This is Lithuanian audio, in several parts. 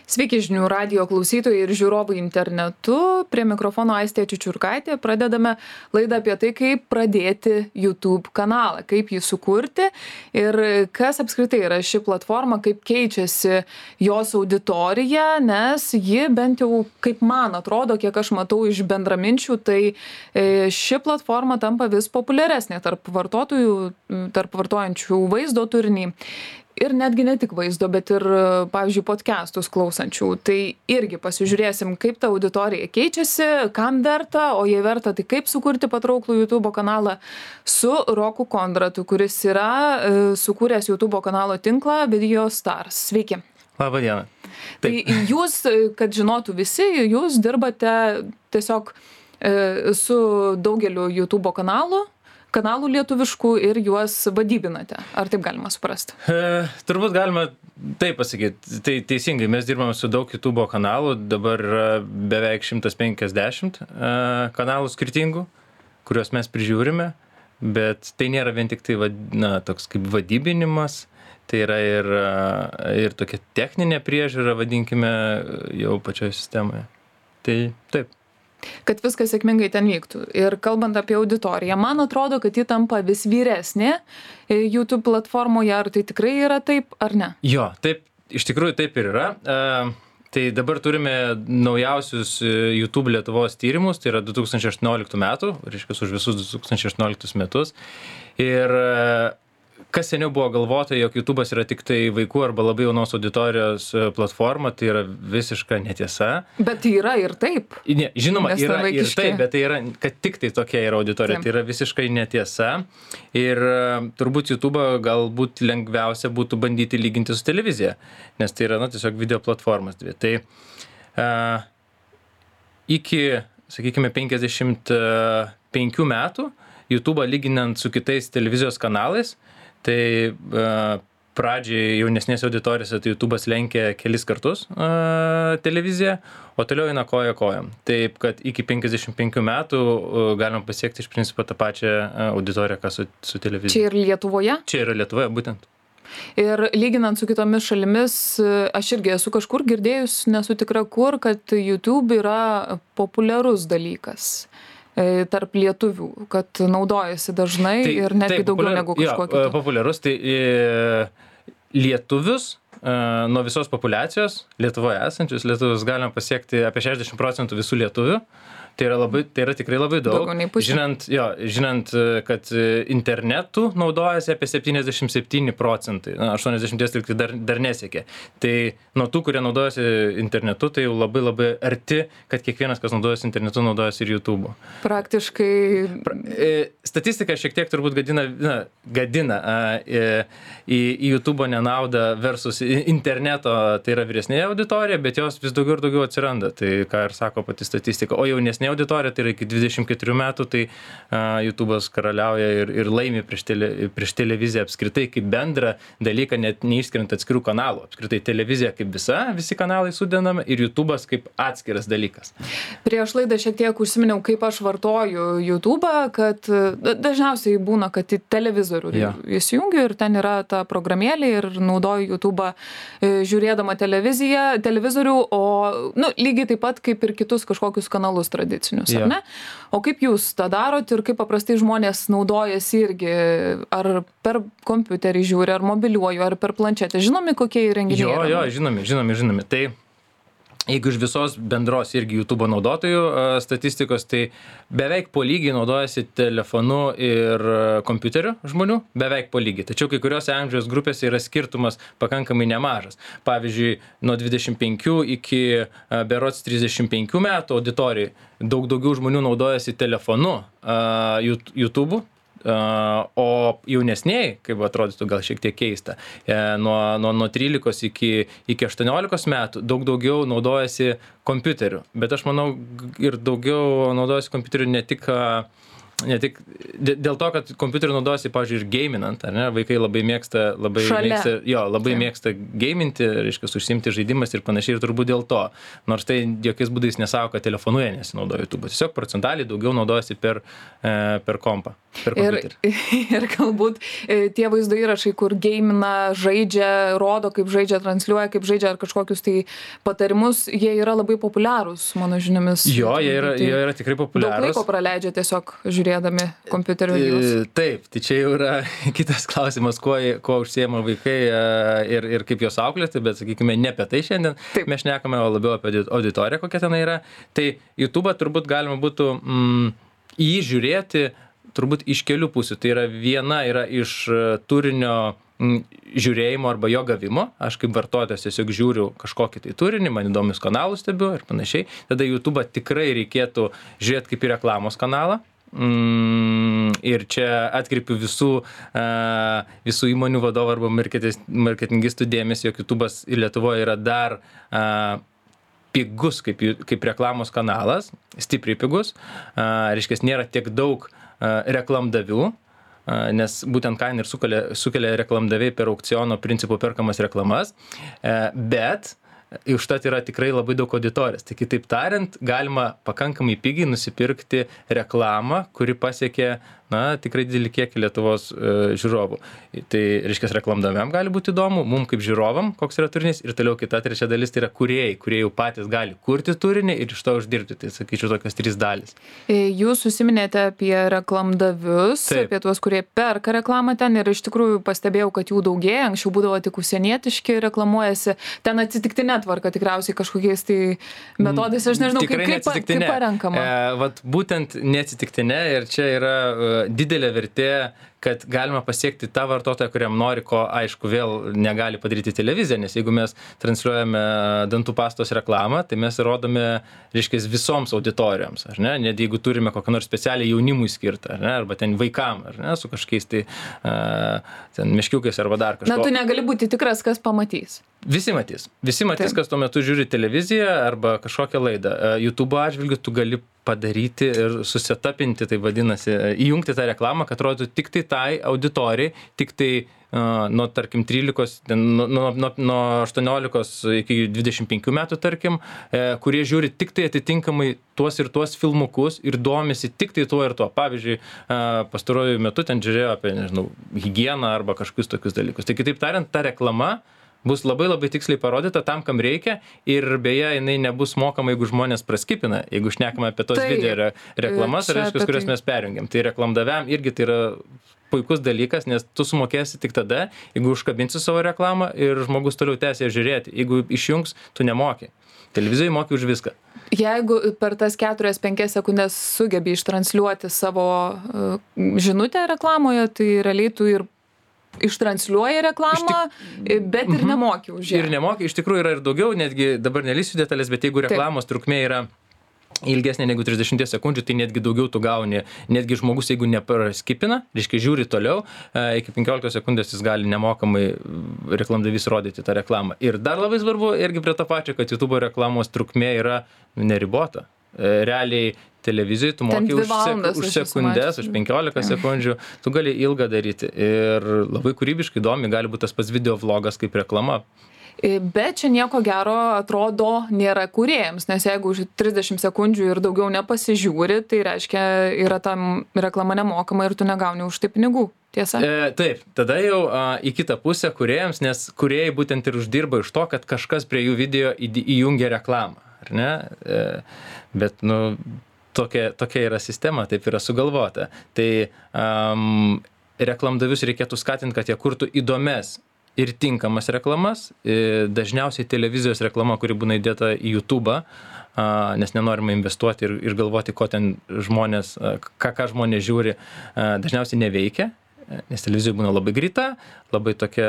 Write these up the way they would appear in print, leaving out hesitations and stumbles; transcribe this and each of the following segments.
Sveiki žinių radijo klausytojai ir žiūrovai internetu. Prie mikrofono Aistė Čičiurkaitė. Pradedame laidą apie tai, kaip pradėti YouTube kanalą, kaip jį sukurti ir kas apskritai yra ši platforma, kaip keičiasi jos auditorija, nes ji bent jau, kaip man atrodo, kiek aš matau iš bendraminčių, tai ši platforma tampa vis populiaresnė tarp vartotojų, tarp vartojančių vaizdo turinį. Ir netgi ne tik vaizdo, bet ir, pavyzdžiui, podcastus klausančių. Tai irgi pasižiūrėsim, kaip ta auditorija keičiasi, kam verta, o jei verta, tai kaip sukurti patrauklų YouTube kanalą su Roku Kondratu, kuris yra sukūręs YouTube kanalo tinklą Video Stars. Sveiki. Labą dieną. Tai jūs, kad žinotų visi, jūs dirbate tiesiog su daugeliu YouTube kanalų lietuviškų ir juos vadybinate. Ar taip galima suprasti? Turbūt galima taip pasakyti. Tai teisingai, mes dirbame su daug YouTube kanalų, dabar yra beveik 150 kanalų skirtingų, kuriuos mes prižiūrime, bet tai nėra vien tik tai toks kaip vadybinimas, tai yra ir tokia techninė priežiūra, vadinkime, jau pačioje sistemoje. Tai taip. Kad viskas sėkmingai ten vyktų. Ir kalbant apie auditoriją, man atrodo, kad ji tampa vis vyresnė YouTube platformoje. Ar tai tikrai yra taip, ar ne? Jo, taip, iš tikrųjų taip ir yra. Tai dabar turime naujausius YouTube Lietuvos tyrimus, tai yra 2018 metų, reiškia už visus 2018 metus. Ir kas seniau buvo galvota, jog YouTube'as yra tik tai vaikų arba labai jaunos auditorijos platforma, tai yra visiška netiesa. Bet yra ir taip. Ne, žinoma, yra ir taip, bet tai yra, kad tik tai tokia yra auditorija, tai yra visiškai netiesa. Ir turbūt YouTube'ą galbūt lengviausia būtų bandyti lyginti su televizija, nes tai yra tiesiog video platformas dvi. Tai iki, sakykime, 55 metų YouTube'ą lyginant su kitais televizijos kanalais, tai pradžiai jaunesnės auditorijose tai YouTube'as lenkia kelis kartus televiziją, o toliau eina koja kojam. Taip, kad iki 55 metų galima pasiekti iš principo tą pačią auditoriją, ką su televizija. Čia ir Lietuvoje? Čia yra Lietuvoje, būtent. Ir lyginant su kitomis šalimis, aš irgi esu kažkur girdėjus, nesu tikra kur, kad YouTube yra populiarus dalykas tarp lietuvių, kad naudojasi dažnai ir netgi daugiau negu kažko kito. Populiarus, tai lietuvius nuo visos populiacijos Lietuvoje esančius lietuvius galima pasiekti apie 60% visų lietuvių. Tai yra tikrai labai daug. Žinant, kad internetu naudojasi apie 77%, 80% dar nesiekia. Tai nuo tų, kurie naudojasi internetu, tai jau labai labai arti, kad kiekvienas, kas naudojasi internetu, naudojasi ir YouTube'u. Praktiškai. Statistika šiek tiek turbūt gadina į YouTube'o nenaudą versus interneto, tai yra vyresnė auditorija, bet jos vis daugiau ir daugiau atsiranda. Tai ką ir sako pati statistika. O jaunesnė auditorija, tai yra iki 24 metų, tai YouTube'as karaliauja ir laimi prieš televiziją apskritai kaip bendrą dalyką, net neišskiriant atskirų kanalų. Apskritai televizija kaip visi kanalai sudedami ir YouTube'as kaip atskiras dalykas. Prieš laidą šiek tiek užsiminiau, kaip aš vartoju YouTube'ą, kad dažniausiai būna, kad į televizorių įsijungiu ir ten yra ta programėlė ir naudoju YouTube'ą žiūrėdama televizorių, o lygiai taip pat kaip ir kitus kažkokius kanalus tradicinius, ar ne? O kaip jūs tą darot ir kaip paprastai žmonės naudojasi irgi, ar per kompiuterį žiūri, ar mobiliuoju, ar per planšetę? Žinomi, kokie įrenginiai yra? Jo, žinomi. Tai jeigu iš visos bendros irgi YouTube naudotojų statistikos, tai beveik po lygiai naudojasi telefonu ir kompiuteriu žmonių, beveik po lygiai. Tačiau kai kuriuose amžiaus grupėse yra skirtumas pakankamai nemažas. Pavyzdžiui, nuo 25 iki berods 35 metų auditorijai daug daugiau žmonių naudojasi telefonu YouTube'u. O jaunesniai, kaip atrodytų gal šiek tiek keista, nuo 13 iki 18 metų daug daugiau naudojasi kompiuteriu. Bet aš manau ir daugiau naudojasi kompiuteriu ne tik ne tik dėl to, kad kompiuterį naudojasi, pavyzdžiui, ir gaminant, ar ne? Vaikai labai mėgsta, mėgsta gaminti, reiškia, užsiimti žaidimas ir panašiai, ir turbūt dėl to. Nors tai jokiais būdais nesako, kad telefonu jie nesinaudoja YouTube. Tiesiog procentaliai daugiau naudojasi per kompą, per kompiuterį. Ir galbūt tie vaizdo įrašai, kur gamina, žaidžia, rodo, kaip žaidžia, transliuoja, kaip žaidžia, ar kažkokius tai patarimus, jie yra labai populiarūs, mano žiniomis. Jo, jie yra tikrai populiarūs. Daug laiko praleidžia tiesiog žiūrėdami kompiuterio videos. Taip, tai čia jau yra kitas klausimas, kuo užsiema vaikai ir kaip juos auklėti, bet sakykime, ne apie tai šiandien. Taip. Mes šnekame, o labiau apie auditoriją, kokia ten yra. Tai YouTube turbūt galima būtų jį žiūrėti turbūt iš kelių pusių. Tai yra viena yra iš turinio žiūrėjimo arba jo gavimo. Aš kaip vartotojas tiesiog žiūriu kažkokį tai turinį, man įdomius kanalus stebiu ir panašiai. Tada YouTube tikrai reikėtų žiūrėti kaip į reklamos kanalą. Ir čia atkreipiu visų įmonių vadovų arba marketingistų dėmesį, jog YouTube'as Lietuvoje yra dar pigus kaip reklamos kanalas, stipriai pigus, reiškia, nėra tiek daug reklamdavių, nes būtent kainą ir sukelia reklamdaviai per aukciono principų perkamas reklamas, bet užtat yra tikrai labai daug auditorijos. Tai kitaip tariant, galima pakankamai pigiai nusipirkti reklamą, kuri pasiekia, tikrai didelį kiekį Lietuvos žiūrovų. Tai reiškia, reklamdaviam gali būti įdomu, mum kaip žiūrovam, koks yra turinys, ir toliau kita trečia dalis tai yra kūrėjai, kurie jau patys gali kurti turinį ir iš to uždirbti. Tai sakyčiau, tokios 3 dalys. Jūs užsiminėte apie reklamdavius, Taip. apie tuos, kurie perka reklamą ten, ir iš tikrųjų pastebėjau, kad jų daugėja. Anksčiau būdavo tik užsienietiški reklamuojasi. Ten atsitiktinė tvarka tikriausiai kažkokiais tai metodais, aš nežinau, kaip parenkama. Vat būtent neatsitiktinė, ir čia yra didelė vertė, kad galima pasiekti tą vartotoją, kuriam nori, ko aišku vėl negali padaryti televizija, nes jeigu mes transliuojame dantų pastos reklamą, tai mes rodome, reiškia, visoms auditorijoms, ar ne? Net jeigu turime kokią nors specialią jaunimui skirtą, ar ne? Arba ten vaikam, ar ne? Su kažkokiais tai ten meškiukais arba dar kažko. Tu negali būti tikras, kas pamatys. Visi matys, kas tuo metu žiūri televiziją arba kažkokią laidą. YouTube atžvilgiu tu gali padaryti ir susetapinti, tai vadinasi, įjungti tą reklamą, kad rodytų tik tai auditorijai, tik tai nuo, tarkim, 13, nuo 18 iki 25 metų, tarkim, kurie žiūri tik tai atitinkamai tuos ir tuos filmukus ir domisi tik tai tuo ir tuo. Pavyzdžiui, pastaruoju metu ten žiūrėjo apie, nežinau, higieną arba kažkokius tokius dalykus. Tai kitaip tariant, ta reklama bus labai labai tiksliai parodyta tam, kam reikia, ir beje, jinai nebus mokama, jeigu žmonės praskipina, jeigu šnekame apie tos video reklamas, kurias mes perjungiam. Tai reklamdaviam irgi tai yra puikus dalykas, nes tu sumokėsi tik tada, jeigu užkabinsi savo reklamą ir žmogus toliau tęsia žiūrėti. Jeigu išjungs, tu nemoki. Televizijoje moki už viską. Jeigu per tas 4-5 sekundės sugebi ištransliuoti savo žinutę reklamoje, tai realiai tu ir ištransliuoja reklamą, bet ir nemoki už ją. Ir nemoki, iš tikrųjų yra ir daugiau, netgi dabar nelįsiu detalės, bet jeigu reklamos trukmė yra ilgesnė negu 30 sekundžių, tai netgi daugiau tu gauni. Netgi žmogus, jeigu nepraskipina, reiškia žiūri toliau, iki 15 sekundės jis gali nemokamai reklamdavys rodyti tą reklamą. Ir dar labai svarbu, irgi prie to pačio, kad YouTube reklamos trukmė yra neribota. Realiai televizijoje tu moki už sekundės, už 15 sekundžių, tu gali ilgą daryti. Ir labai kūrybiškai įdomi, gali būti tas pats video vlogas kaip reklama. Bet čia nieko gero atrodo nėra kūrėjams, nes jeigu už 30 sekundžių ir daugiau nepasižiūri, tai reiškia, yra tam reklama nemokama ir tu negauni už tai pinigų. Tiesa? Taip, tada jau į kitą pusę kūrėjams, nes kūrėjai būtent ir uždirba iš to, kad kažkas prie jų video įjungia reklamą, ar ne? Bet, tokia yra sistema, taip yra sugalvota. Tai reklamdavius reikėtų skatinti, kad jie kurtų įdomias ir tinkamas reklamas, dažniausiai televizijos reklama, kuri būna įdėta į YouTube'ą, nes nenorima investuoti ir galvoti, ko ten žmonės, ką žmonės žiūri, dažniausiai neveikia, nes televizija būna labai greita, labai tokia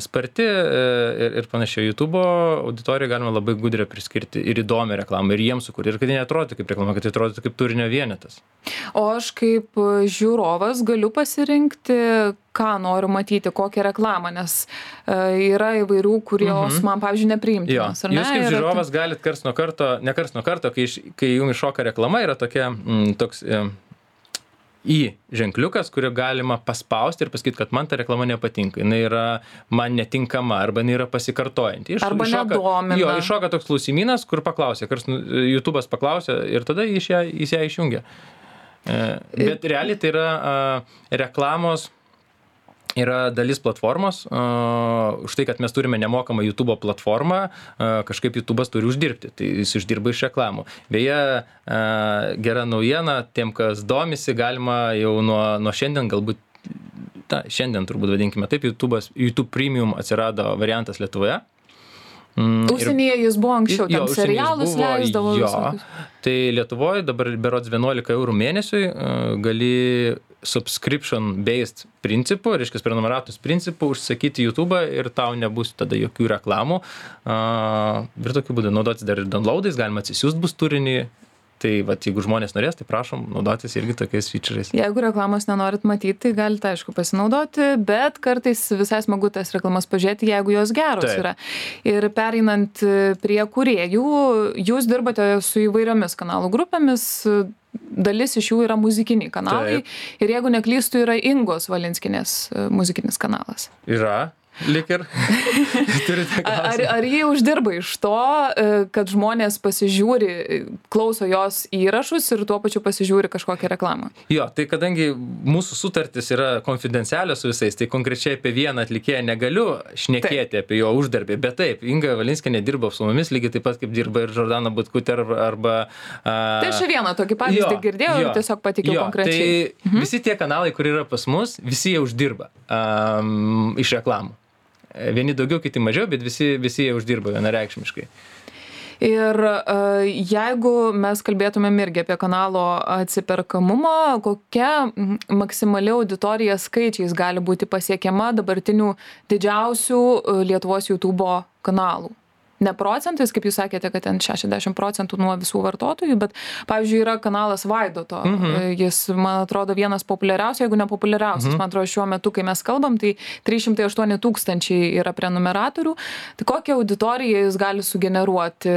sparti ir panašiai. YouTube'o auditoriją galima labai gudriai priskirti ir įdomią reklamą, ir jiems sukurti, ir kad jie neatrodytų kaip reklama, kad jie atrodytų kaip turinio vienetas. O aš kaip žiūrovas galiu pasirinkti, ką noriu matyti, kokią reklamą, nes yra įvairių, kurios man, pavyzdžiui, nepriimtinos. Jūs kaip žiūrovas galit ne karts nuo karto, kai jums iššoka reklama, yra toks ženkliukas, kurį galima paspausti ir pasakyti, kad man ta reklama nepatinka, jinai yra man netinkama, arba jinai yra pasikartojanti. Arba nedomina. Jo, iššoka toks klausimynas, kur paklausė, YouTube'as paklausė ir tada jis ją išjungia. Bet realiai tai yra reklamos, yra dalis platformos, už tai, kad mes turime nemokamą YouTube platformą, kažkaip YouTube'as turi uždirbti, tai jis uždirba iš reklamų. Beje, gera naujiena, tiem, kas domisi, galima jau nuo šiandien, galbūt, šiandien turbūt vadinkime taip, YouTube Premium atsirado variantas Lietuvoje. Užsienyje jis buvo anksčiau, ten serialus leisdavo visokius. Tai Lietuvoje dabar berods 11 eurų mėnesiui gali subscription-based principų, reiškia prenumeratos principų, užsakyti YouTube'ą ir tau nebus tada jokių reklamų. Ir tokiu būdu naudotis dar ir downloadais, galima atsisiųsti bus turinį. Tai vat, jeigu žmonės norės, tai prašom naudotis irgi tokiais feature'ais. Jeigu reklamos nenorit matyti, tai galite, aišku, pasinaudoti, bet kartais visai smagu tas reklamas pažiūrėti, jeigu jos geros yra. Ir pereinant prie kūrėjų, jūs dirbate su įvairiomis kanalų grupėmis, dalis iš jų yra muzikiniai kanalai. Taip. Ir jeigu neklystu, yra Ingos Valinskienės muzikinis kanalas. Yra. Lik ir turite klausimą. Ar jie uždirba iš to, kad žmonės pasižiūri, klauso jos įrašus ir tuo pačiu pasižiūri kažkokią reklamą? Jo, tai kadangi mūsų sutartis yra konfidencialios su visais, tai konkrečiai apie vieną atlikėją negaliu šnekėti apie jo uždarbį, bet taip, Inga Valinskienė dirba su mumis, lygiai taip pat kaip dirba ir Jordana Butkutė arba... Tai aš vieną tokį pavyzdį girdėjau ir tiesiog patikiau konkrečiai. Tai visi tie kanalai, kur yra pas mus, visi jie uždirba iš reklamų. Vieni daugiau, kiti mažiau, bet visi jie uždirba vienareikšmiškai. Ir jeigu mes kalbėtumėm irgi apie kanalo atsiperkamumą, kokia maksimali auditorija skaičiais gali būti pasiekiama dabartinių didžiausių Lietuvos YouTube kanalų? Ne procentais, kaip jūs sakėte, kad ten 60% nuo visų vartotojų, bet, pavyzdžiui, yra kanalas Vaidoto. Jis, man atrodo, vienas populiariausių, jeigu ne populiariausias. Man atrodo, šiuo metu, kai mes kalbam, tai 308 000 yra prenumeratorių. Tai kokią auditoriją jis gali sugeneruoti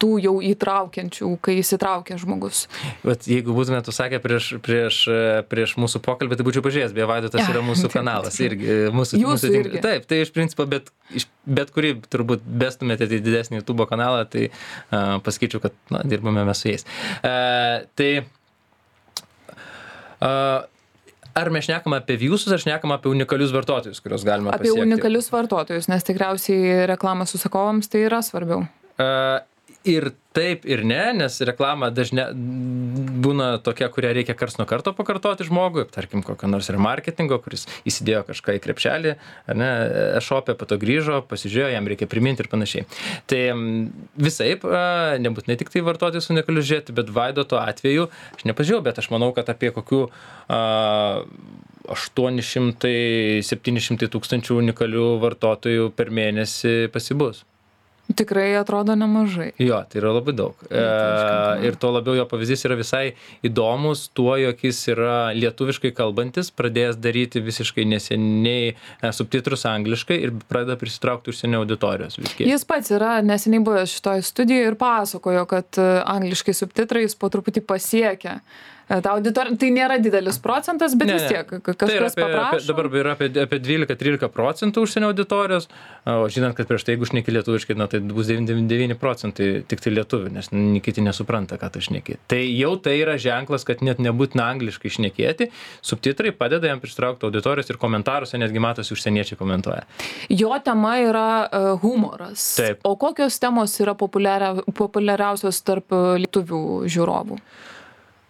tų jau įtraukiančių, kai įsitraukia žmogus? Bet jeigu būtumėte sakę prieš mūsų pokalbį, tai būčiau pažiūrėjęs, beje, Vaidotas yra mūsų kanalas. Jūsų irgi. Taip, tai iš principo, bet kurį turbūt bestumėte į didesnį YouTube kanalą, tai pasakyčiau, kad dirbame mes su jais. Ar mes šnekame apie viewsus, ar šnekame apie unikalius vartotojus, kuriuos galime pasiekti? Apie unikalius vartotojus, nes tikriausiai reklamos užsakovams tai yra svarbiau. Ir taip, ir ne, nes reklama dažnai būna tokia, kurią reikia karts nuo karto pakartoti žmogui, tarkim, kokio nors remarketingo, kuris įsidėjo kažką į krepšelį, e-shop'e, po to grįžo, pasižiūrėjo, jam reikia priminti ir panašiai. Tai visaip, nebūtinai tik tai vartotojus unikalius žiūrėti, bet Vaidoto atveju, aš nepažiūrėjau, bet aš manau, kad apie kokių 800-700 tūkstančių unikalių vartotojų per mėnesį pasibus. Tikrai atrodo nemažai. Jo, tai yra labai daug. Ir to labiau jo pavyzdys yra visai įdomus tuo, jog jis yra lietuviškai kalbantis, pradėjęs daryti visiškai neseniai subtitrus angliškai ir pradeda prisitraukti užsienio auditorijos. Jis pats yra neseniai buvęs šitoje studijoje ir pasakojo, kad angliškai subtitrais po truputį pasiekia. Tai nėra didelis procentas, bet vis tiek kažkas paprašo. Dabar yra apie 12-13% užsienio auditorijos, o žinant, kad prieš tai, jeigu šneki lietuviškai, tai bus 99% tik tai lietuvių, nes kiti nesupranta, ką tu šneki. Tai jau tai yra ženklas, kad net nebūtina angliškai šnekėti, subtitrai padeda jam pritraukti auditorijos ir komentaruose netgi matosi užsieniečiai komentuoja. Jo tema yra humoras. Taip. O kokios temos yra populiariausios tarp lietuvių žiūrovų?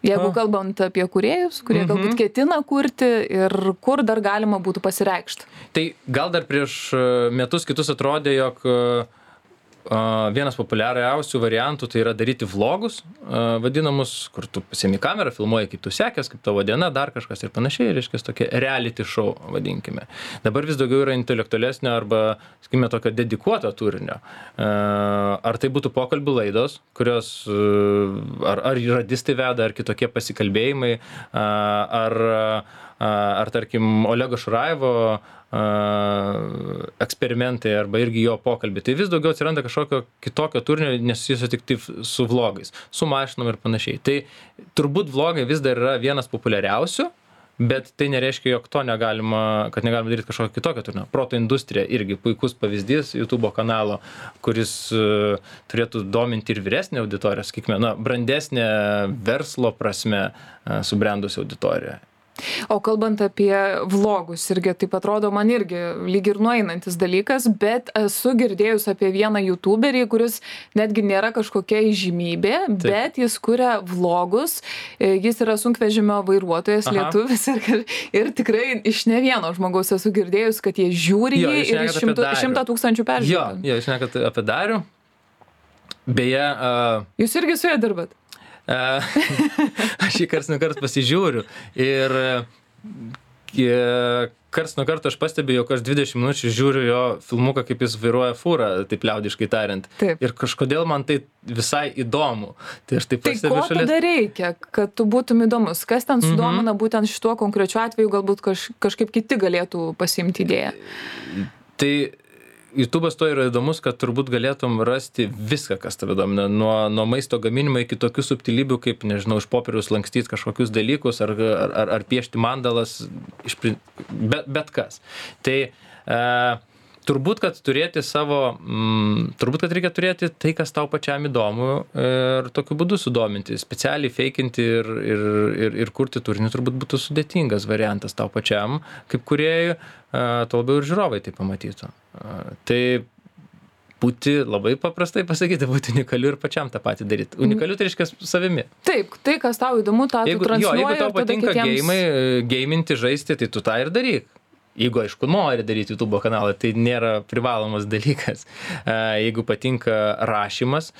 Jeigu kalbant apie kūrėjus, kurie galbūt ketina kurti ir kur dar galima būtų pasireikšti. Tai gal dar prieš metus kitus atrodė, jog vienas populiariausių variantų tai yra daryti vlogus, vadinamus, kur tu pasiemi kamerą, filmuoji, kaip tu sekės, kaip tavo diena, dar kažkas ir panašiai, reiškia tokia reality show, vadinkime. Dabar vis daugiau yra intelektualesnio arba, sakykime, tokio dedikuoto turinio. Ar tai būtų pokalbių laidos, kurios ar radistai veda, ar kitokie pasikalbėjimai, ar ar tarkim Olego Šurajevo eksperimentai arba irgi jo pokalbiai. Tai vis daugiau atsiranda kažkokio kitokio turinio, nesusijusio tik su vlogais, su mašinom ir panašiai. Tai turbūt vlogai vis dar yra vienas populiariausių, bet tai nereiškia, jog kad negalima daryti kažkokio kitokio turinio. Proto industrija irgi puikus pavyzdys YouTube kanalo, kuris turėtų dominti ir vyresnę auditoriją, sakykime, brandesnė verslo prasme subrendusi auditorija. O kalbant apie vlogus, irgi taip atrodo man irgi lyg ir nueinantis dalykas, bet esu girdėjus apie vieną youtuberį, kuris netgi nėra kažkokia įžymybė, bet jis kuria vlogus, jis yra sunkvežimio vairuotojas, lietuvis ir tikrai iš ne vieno žmogaus esu girdėjus, kad jie žiūri jį ir 100 000 peržiūrų. Jo, šnekat apie Darių. Beje... Jūs irgi su juo dirbat? Aš jį karts nuo karto pasižiūriu ir karts nuo karto aš pastebiu, jog aš 20 minučių žiūriu jo filmuką, kaip jis vairuoja fūrą, taip liaudiškai tariant. Taip. Ir kažkodėl man tai visai įdomu. Tai aš taip pastebiu šalies. Tai ko tada reikia, kad tu būtum įdomus? Kas ten sudomina būtent šituo konkrečiu atveju, galbūt kažkaip kiti galėtų pasiimti idėją? Tai YouTube'as to yra įdomus, kad turbūt galėtum rasti viską, kas tave domina. Nuo maisto gaminimo iki tokių subtilybių, kaip, nežinau, iš popieriaus lankstyti kažkokius dalykus ar piešti mandalas, bet kas. Tai turbūt, kad reikia turėti tai, kas tau pačiam įdomu ir tokiu būdu sudominti. Specialiai feikinti ir kurti turinį turbūt būtų sudėtingas variantas tau pačiam, kaip kūrėjui, tuo labiau ir žiūrovai tai pamatytų. Tai būti, labai paprastai pasakyti, būti unikaliu ir pačiam tą patį daryti. Unikaliu tai reiškia savimi. Taip, tai, kas tau įdomu, tą tu transliuoji. Jeigu tau patinka geiminti, žaisti, tai tu tą ir daryk. Jeigu, aišku, nori daryti YouTube kanalą, tai nėra privalomas dalykas. Jeigu patinka rašymas,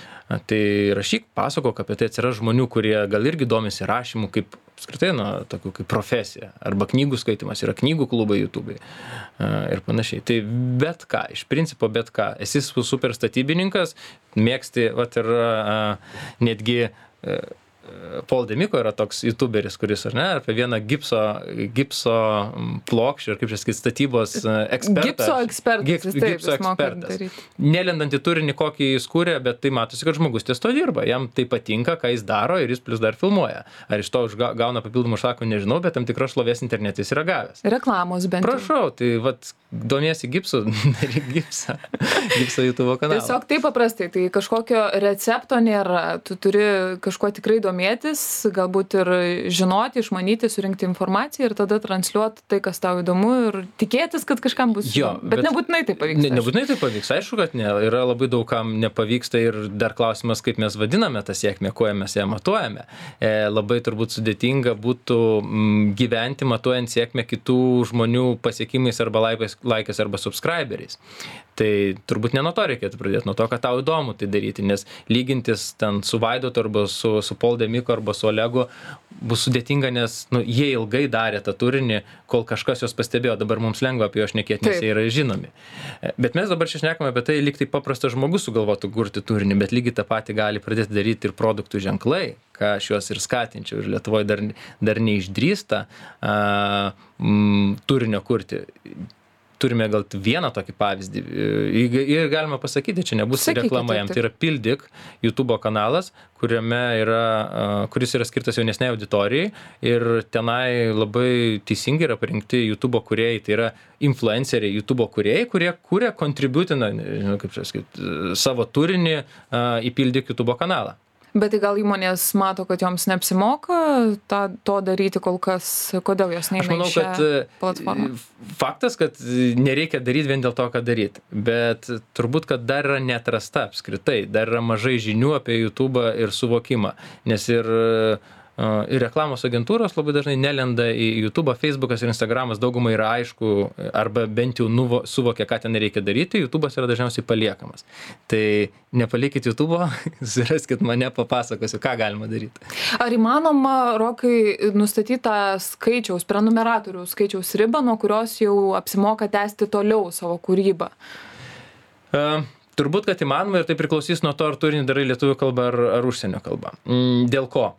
tai rašyk, pasakok apie tai, atsiras žmonių, kurie gal irgi domisi rašymu kaip apskritai, tokių kaip profesija. Arba knygų skaitimas, yra knygų klubai YouTube ir panašiai. Tai bet ką, iš principo bet ką. Esi super statybininkas, mėgsti, ir netgi Paul Demiko yra toks youtuberis, kuris, ar ne, apie vieną gipso plokščių, ir kaip čia sakyti, statybos ekspertas. Gipso ekspertas. Nelendant į turinį, kokį jis kūrė, bet tai matosi, kad žmogus ties to dirba. Jam tai patinka, ką jis daro ir jis plus dar filmuoja. Ar iš to gauna papildomų užsakymų, nežinau, bet tam tikros šlovės internete jis yra gavęs. Reklamos bent. Prašau, tai domiesi gipsu, daryk gipsą YouTube kanalą. Tiesiog taip paprastai, tai kažkokio recepto nėra. Tu turi kažkuo tikrai domėtis, galbūt ir žinoti, išmanyti, surinkti informaciją ir tada transliuoti tai, kas tau įdomu ir tikėtis, kad kažkam bus. Bet nebūtinai tai pavyks. Nebūtinai tai pavyks, aišku, kad ne. Yra labai daug kam nepavyksta ir dar klausimas, kaip mes vadiname tą sėkmę, kuo mes ją matuojame. Labai turbūt sudėtinga būtų gyventi matuojant sėkmę kitų žmonių pasiekimais arba laikais arba subscriberiais. Tai turbūt ne nuo to reikėtų pradėti, nuo to, kad tau įdomu tai daryti, nes lygintis ten su Vaidotu arba su Paul Demiko arba su Olegu bus sudėtinga, nes jie ilgai darė tą turinį, kol kažkas juos pastebėjo, dabar mums lengva apie juos šnekėti, nes jie yra žinomi. Bet mes dabar čia šnekame apie tai, lyg tai paprastas žmogus sugalvotų kurti turinį, bet lygiai tą patį gali pradėti daryti ir produktų ženklai, ką aš juos ir skatinčiau, ir Lietuvoje dar neišdrįsta turinio kurti. Turime gal vieną tokį pavyzdį ir galima pasakyti, čia nebus reklama jam, tai yra Pildik YouTube kanalas, kuris yra skirtas jaunesnei auditorijai ir tenai labai teisingai yra parinkti YouTube kūrėjai, tai yra influenceriai YouTube kūrėjai, kurie kūrė kontributina, kaip čia sakyti, savo turinį į Pildik YouTube kanalą. Bet tai gal įmonės mato, kad joms neapsimoka to daryti kol kas, kodėl jos neina į šią platformą? Faktas, kad nereikia daryti vien dėl to, ką daryti, bet turbūt, kad dar yra neatrasta apskritai, dar yra mažai žinių apie YouTube ir suvokimą, nes ir reklamos agentūros labai dažnai nelenda į YouTube, Facebookas ir Instagramas daugumai yra aišku, arba bent jau suvokia, ką ten reikia daryti, YouTube'as yra dažniausiai paliekamas. Tai nepalikit YouTube'o, suraskit mane, papasakosiu, ką galima daryti. Ar įmanoma, Rokai, nustatyti tą prenumeratorių skaičiaus ribą, nuo kurios jau apsimoka tęsti toliau savo kūrybą? Turbūt, kad įmanoma ir tai priklausys nuo to, ar turinį darai lietuvių kalbą ar užsienio kalbą. Dėl ko?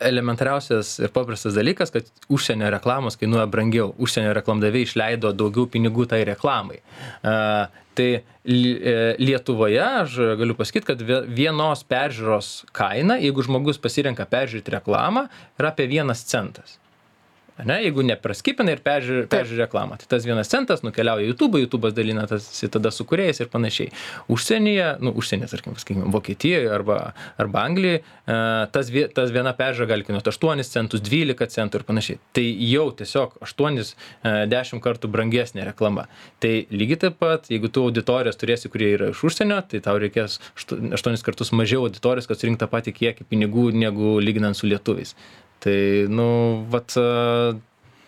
elementariausias ir paprastas dalykas, kad užsienio reklamos kainuoja brangiau. Užsienio reklamdaviai išleido daugiau pinigų tai reklamai. Tai Lietuvoje aš galiu pasakyti, kad vienos peržiūros kaina, jeigu žmogus pasirenka peržiūrėti reklamą, yra apie 1 centas. Ne, jeigu nepraskipina ir peržiūri reklamą, tai tas 1 centas nukeliauja į YouTube, YouTube'as dalina tas tada su kūrėjais ir panašiai. Užsienyje, tarkim, Vokietijoje arba Anglijoje, tas viena peržiūra gali kainuoti 8 centus, 12 centų ir panašiai. Tai jau tiesiog 8-10 kartų brangesnė reklama. Tai lygiai taip pat, jeigu tu auditorijos turėsi, kurie yra iš užsienio, tai tau reikės 8 kartus mažiau auditorijos, kad surinkti tą patį kiekį pinigų, negu lyginant su lietuviais. Tai,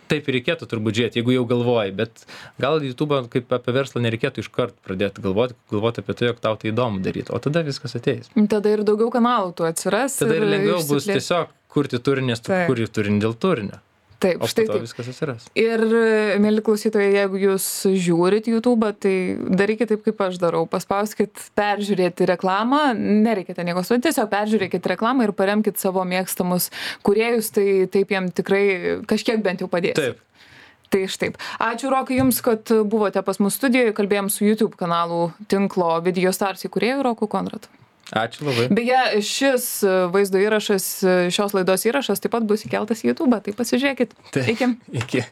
taip ir reikėtų turbūt žiūrėti, jeigu jau galvoji, bet gal YouTube kaip apie verslą nereikėtų iškart pradėti galvoti apie tai, jog tau tai įdomu daryti, o tada viskas ateis. Tada ir daugiau kanalų tu atsiras. Tada ir lengviau bus tiesiog kurti turinį, nes tu kuri turinį dėl turinio. Taip, o štai taip. Viskas atsiras. Ir, mėly klausytojai, jeigu jūs žiūrit YouTube, tai darykite taip, kaip aš darau. Paspauskit peržiūrėti reklamą, nereikite nieko suoti, tiesiog peržiūrėkit reklamą ir paremkit savo mėgstamus kūrėjus, tai taip jiem tikrai kažkiek bent jau padės. Taip. Tai štaip. Ačiū, Rokai, jums, kad buvote pas mus studijoje, kalbėjom su YouTube kanalų tinklo Video Stars įkūrėju Roku Konratu. Ačiū labai. Beje, šis vaizdo įrašas, šios laidos įrašas taip pat bus įkeltas į YouTube, tai pasižiūrėkit. Iki.